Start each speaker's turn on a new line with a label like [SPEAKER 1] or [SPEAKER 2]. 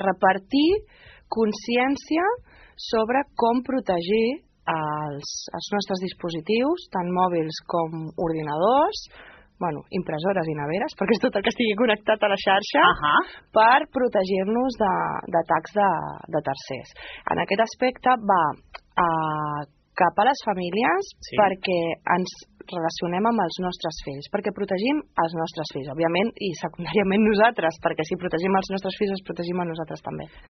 [SPEAKER 1] repartir consciència sobre com protegir els nostres dispositius, tant mòbils com ordinadors, impressores i neveres, perquè és tot el que estigui connectat a la xarxa, per protegir-nos d'atacs de tercers. En aquest aspecte va cap a les famílies perquè ens relacionem amb els nostres fills, perquè protegim els nostres fills, òbviament, i secundàriament nosaltres, perquè si protegim els nostres fills, els protegim a nosaltres també.